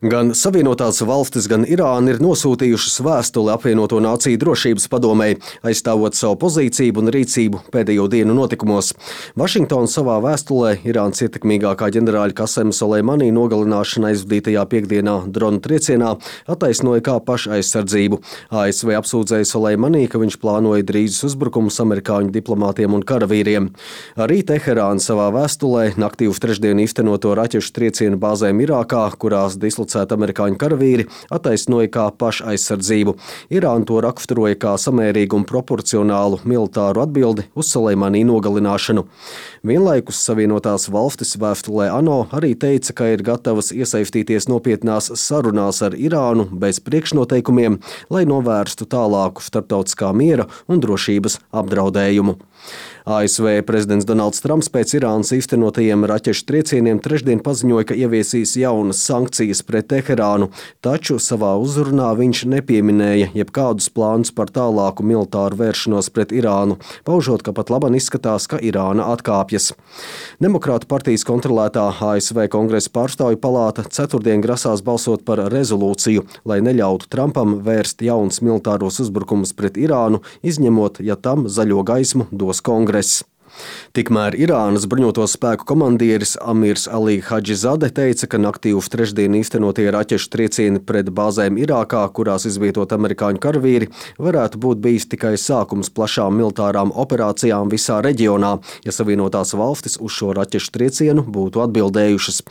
Gan Savienotās valstis, gan Irāna ir nosūtījušas vēstuli apvienoto nāciju drošības padomei, aizstāvot savu pozīciju un rīcību pēdējo dienu notikumos. Vašingtona savā vēstulē Irānas ietekmīgākā ģenerāļa Kasema Soleimani nogalināšana aizvadītajā piekdienā drona triecienā attaisnoja kā pašaizsardzību. ASV apsūdzēja Soleimani, ka viņš plānoja drīzus uzbrukumus amerikāņu diplomātiem un karavīriem. Arī Teherāna savā vēstulē naktī uz trešdienu īstenoto raķešu triecienu bāzēm Irākā, kurās dislocēta amerikāņu karavīri, attaisnoja kā pašaizsardzību. Irāna to raksturoja kā samērīgu un proporcionālu militāru atbildi uz Soleimani nogalināšanu. Vienlaikus Savienotās valstis vēstulē ANO arī teica, ka ir gatavas iesaistīties nopietnās sarunās ar Irānu bez priekšnoteikumiem, lai novērstu tālāku starptautiskā miera un drošības apdraudējumu. ASV prezidents Donalds Trumps pēc Irānas īstenotajiem raķešu triecieniem trešdien paziņoja, ka ieviesīs jaunas sankcijas pret Teherānu, taču savā uzrunā viņš nepieminēja jebkādus plānus par tālāku militāru vēršanos pret Irānu, paužot, ka pat labāk izskatās, ka Irāna atkāpjas. Demokrātu partijas kontrolētā ASV Kongresa pārstāvju palāta ceturtdien grasās balsot par rezolūciju, lai neļautu Trumpam vērst jaunus militāros uzbrukumus pret Irānu, izņemot, ja tam zaļo gaismu dos Kongress. Tikmēr Irānas bruņoto spēku komandieris Amirs Ali Hadžizade teica, ka naktī uz trešdienu īstenotie raķešu triecieni pret bāzēm Irākā, kurās izvietot amerikāņu karavīri, varētu būt bijis tikai sākums plašām militārām operācijām visā reģionā, ja Savienotās valstis uz šo raķešu triecienu būtu atbildējušas.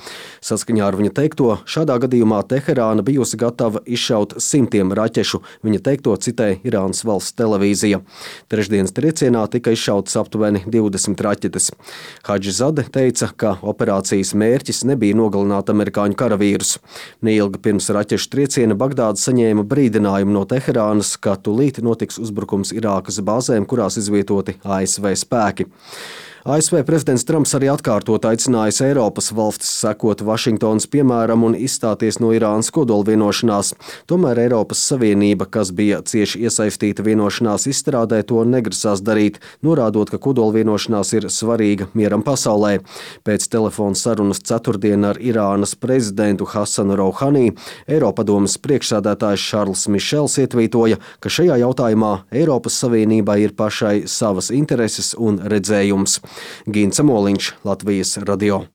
Saskaņā ar viņa teikto, šādā gadījumā Teherāna bijusi gatava izšaut simtiem raķešu, viņa teikto citēja Irānas valsts televīzija. Trešdienas triecienā tika izšautas aptuveni 20 raķetes. Hadžizade teica, ka operācijas mērķis nebija nogalināt amerikāņu karavīrus. Neilgi pirms raķešu trieciena Bagdāda saņēma brīdinājumu no Teherānas, ka tūlīt notiks uzbrukums Irākas bāzēm, kurās izvietoti ASV spēki. ASV prezidents Trumps arī atkārtot aicinājis Eiropas valstis sekot Vašingtonas piemēram un izstāties no Irānas kodolvienošanās. Tomēr Eiropas Savienība, kas bija cieši iesaistīta vienošanās izstrādē, to negrasās darīt, norādot, ka kodolvienošanās ir svarīga mieram pasaulē. Pēc telefona sarunas ceturtdien ar Irānas prezidentu Hasanu Rouhani, Eiropadomes priekšsēdētājs Šarls Mišels ietvītoja, ka šajā jautājumā Eiropas Savienībai ir pašai savas intereses un redzējums. Gints Moliņš, Latvijas radio.